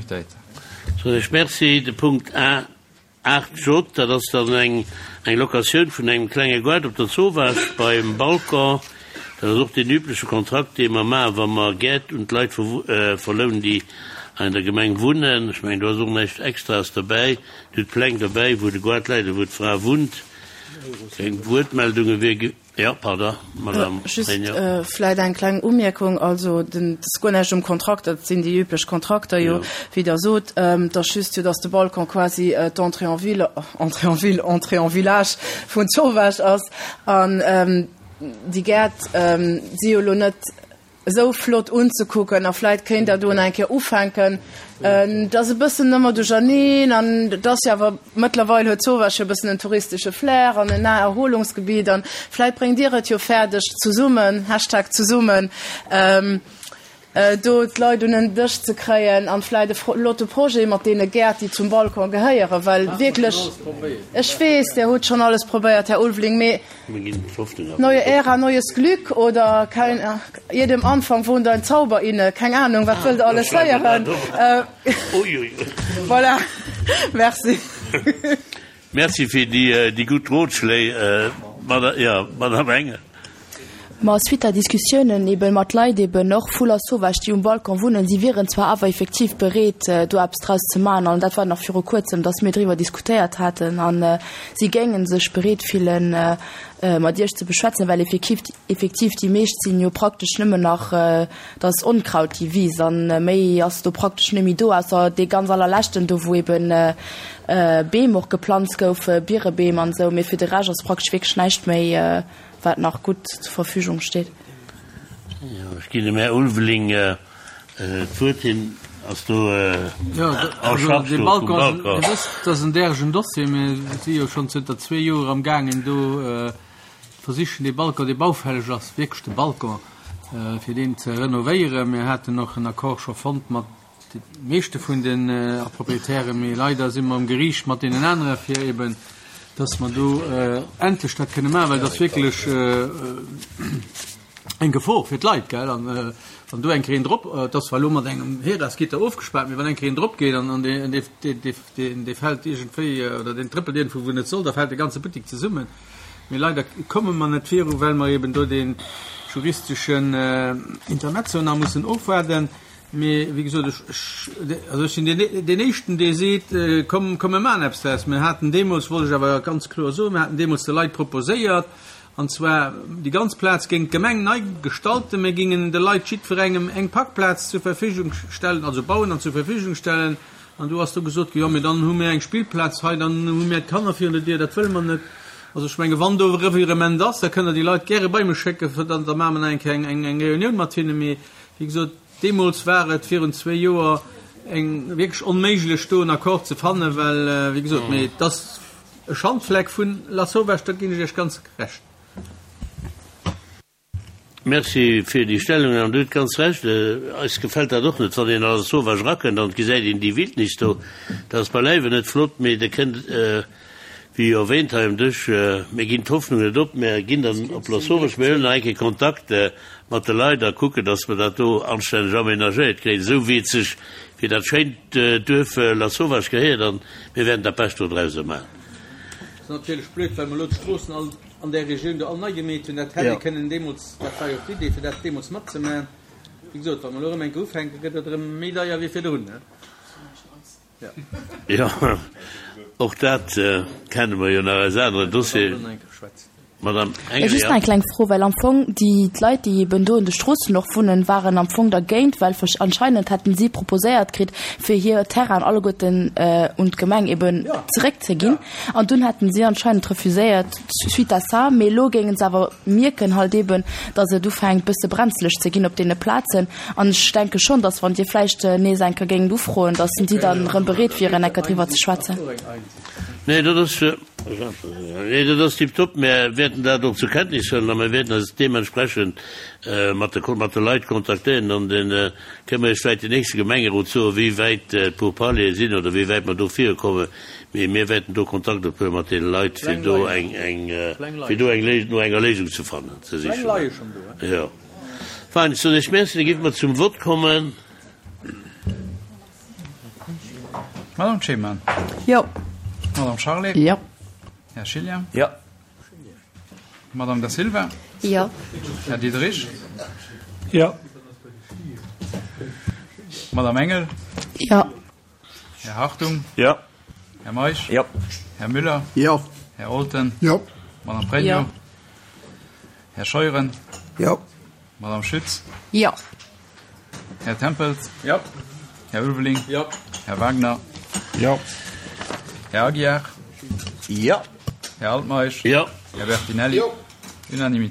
Unanimitéit. Soen ech Merci. De Punkt A 8 J, dat ass dann eng eng Locatioun vun engem klenge Goart op der Zowaasch beim Balcon. Dat ass och deen übleche Kontrakt, dee mer maachen, wa mer Gäert un d'Leit verlounen, déi hei an der Gemeng wunnen. Ech mengen, do ass och näischt Extraes derbäi. Dir hutt d'Pläng derbäi, wou de Goart läit a wou d'Fra wunnt. Keng Wuertmeldunge wier. Jo, pardon, Madame Just Regnault. vläit eng kleng Umierkung, also den, et ass guer näischt um Kontrakt, dat sinn déi üblech Kontrakter jo, wéi Der sot. Et ass just jo, datt de Balcon quasi d'Entrée en ville, Entrée en ville, Entrée en village vun Zowaasch ass. An déi Gäert si jo elo net esou flott unzekucken a vläit kéint Der do nach eng Kéier ufänken. Et ass e bëssen ëmmer duercherneen an et ass jo awer, mëttlerweil huet Zowaasch jo e bëssen en touristesche Flair an en Naherholungsgebiet an vläit bréngt Dir et jo fäerdeg zesummen, Hashtag zesummen, do d'Leit un en Dësch ze kréien an vläit e flotte Projet mat deene Gäert, déi zum Balcon gehéieren, well wierklech, ech weess, Dir hutt schonn alles probéiert, Här Ulveling, mee Neue Ära, neues Glück oder kein, jedem Anfang wohnt ein Zauber inne, keng Ahnung, wat wëllt Der alles héieren? Voilà, merci. Merci fir déi gutt Rotschléi, Madame Engel. Ma suite à Diskussiounen eben mat Leit eben och vu Lasauvage, déi um Balcon wunnen, si wieren zwar awer effektiv bereet, do eppes draus ze maachen, an dat war nach viru kuerzem, datt mir driwwer diskutéiert haten, a si géinge sech bereet fillen, mat Iech ze beschwätzen, well effektiv, effektiv déi meescht sinn jo praktesch nëmmen nach, dat ass Onkraut, déi Wiss, a méi ass do praktesch net méi do, ausser dee ganz allerleschten do, wou eben Beem och geplanzt goufe, Birebeem an esou, mee fir de Rescht ass praktesch wierklech näischt méi. wat nach gutt zur Verfügung steet. Jo, ech ginn dem Här Ulveling d'Wuert. Hien ass do en charge do vum Balcon. Dir wësst, dat ass en däregen Dossier. Mir si jo schonn zënter zwee Joer amgaangen do versichen dee Balcon, dee baufälleg ass, wierklech de Balcon, fir deen ze renovéieren. Mir haten och en Accord scho fonnt mat De meeschte vun den Proprietären, mee leider si mer um Geriicht mat deenen anere fir eben, dass mer do endlech dat kënne maachen, well et ass wierklech eng Gefor fir d'Leit, gell. An wann do eng Kéier een drop, et ass zwar elo mat engem Heras-Gitter ofgespaart, mee wann eng Kéier een drop geet an deen dee fält iergendwéi oder deen trëppelt iergendwou wou net soll, da fält de ganze Buttek zesummen. Mee leider komme mer net viru, well mer eben do dee juristeschen Intermezzo nach mussen ofwaarden. Mee wéi gesot, ech, ech, also ech sinn deen, deen Éischten, dee seet, Komm, komm mir maachen eppes draus. Mir haten deemools, wollt ech awer ganz kloer soen, mir haten deemools de Leit proposéiert, an zwar déi ganz Plaz géing d'Gemeng nei gestalten, mir géingen de Leit jiddwerengem eng Parkplaz zur Verfügung stellen, also bauen an zur Verfügung stellen. An do ass do gesot ginn, jo, mee dann hu mir eng Spillplaz hei, dann hu mir d'Kanner virun der Dier, dat wëlle mer net. Also ech menge wann do e Revirement ass, da kënnt Der déi Leit gäre bei mech schécken, da maache mer nach eng Kéier eng, eng Reunioun mat hinnen. Mee wéi gesot, Deemools war et virun zwee Joer eng wierklech onméiglech do en Accord ze fannen, well wéi gesot, mee et ass e Schandfleck vun Lasauvage, do ginn ech Iech ganz Recht. Merci fir déi Stellungnam. Dir hutt ganz Recht, eis gefält dat och net, wann een a Lasauvage erakënnt an et gesäit een déi Wildnis do. Dat ass beileiwen net flott, mee Der kënnt, wéi jo erwähnt hei um Dësch, mir ginn d'Hoffnung net op, mir ginn dann op Lasauvage, mir huelen nach eng Kéier Kontakt mat de Leit a kucken, dass mer dat do anstänneg aménagéiert kréien, esou wéi et sech fir dat schéint Duerf Lasauvage gehéiert. An mir wäerten dat Bescht do drauser maachen. Ass natierlech blöd, well mer elo d'Stroossen all an där Regioun do all nei gemeet hunn. Dat hätt ee kënnen deemools, dat war jo och d'Idee, fir dat deemools matzemaachen. Wéi gesot, wa mer elo erëm eng Kéier ufänken, gëtt et erëm méi deier wéi virdrun. Jo, och dat kenne mer jo nach aus aneren Dossieren. Madame Engel, Just jo. nach eng kleng Fro, well am Fong déi d'Leit, déi eben do un de Stroossen och wunnen, waren am Fong dergéint, well anscheinend hätten si proposéiert kritt, fir hir Terrainen alleguerten un d'Gemeng eben zeréckzeginn. An dunn hätten si anscheinend refuséiert suite à ça. Mee elo géingen se awer mierken halt eben, datt et ufänkt bësse brenzleg ze ginn op deene Plazen. An ech denke schonn, datt wann Dir vläicht nees eng Kéier géingt ufroen, datt si dann erëm bereet wieren, eng Kéier driwwer ze schwätzen. Nee, dat ass, nee, dat ass tiptop. Mir wäerten dat och zur Kenntnis huelen a mir wäerten eis deementsprechend mat de, mat de Leit kontaktéieren an da kënne mer Iech vläicht den nächste Gemengerot soen, wéi wäit d'Pourparlere sinn oder wéi wäit mer do virukommen. Mee mir wäerten do Kontakt ophuele mat deene Leit, fir do eng, eng, fir do eng Léisung, no enger Léisung ze fannen, ze sichen. Jo. Fein, ech soen Iech Merci. Da géife mer zum Vott kommen. Madame Ceman. Jo. Madame Charlé. Jo. Här Schillian. Jo. Madame Da Silva. Jo. Här Diderich. Jo. Madame Engel. Jo. Här Hartung. Jo. Här Meisch. Jo. Här Müller. Jo. Här Olten. Jo. Madame Pregno. Jo. Här Scheuren. Jo. Madame Schütz. Jo. Här Tempels. Jo. Här Ulveling. Jo. Här Wagner. Jo. Här Aguiar. Jo. Här Altmeisch. Jo. Här Bertinelli. Jo. Unanimité.